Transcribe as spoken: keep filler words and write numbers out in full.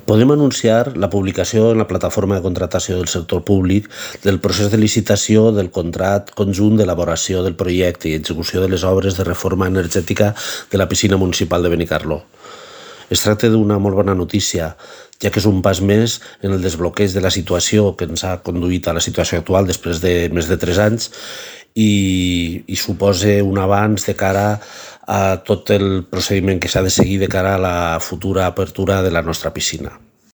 Podem anunciar la publicació en la plataforma de contractació del sector públic del procés de licitació del contracte conjunt d'elaboració del projecte i execució de les obres de reforma energètica de la piscina municipal de Benicarló. Es tracta d'una molt bona notícia, ja que és un pas més en el desbloqueig de la situació que ens ha conduït a la situació actual després de més de tres anys i, i suposa un avanç de cara a tot el procediment que s'ha de seguir de cara a la futura apertura de la nostra piscina.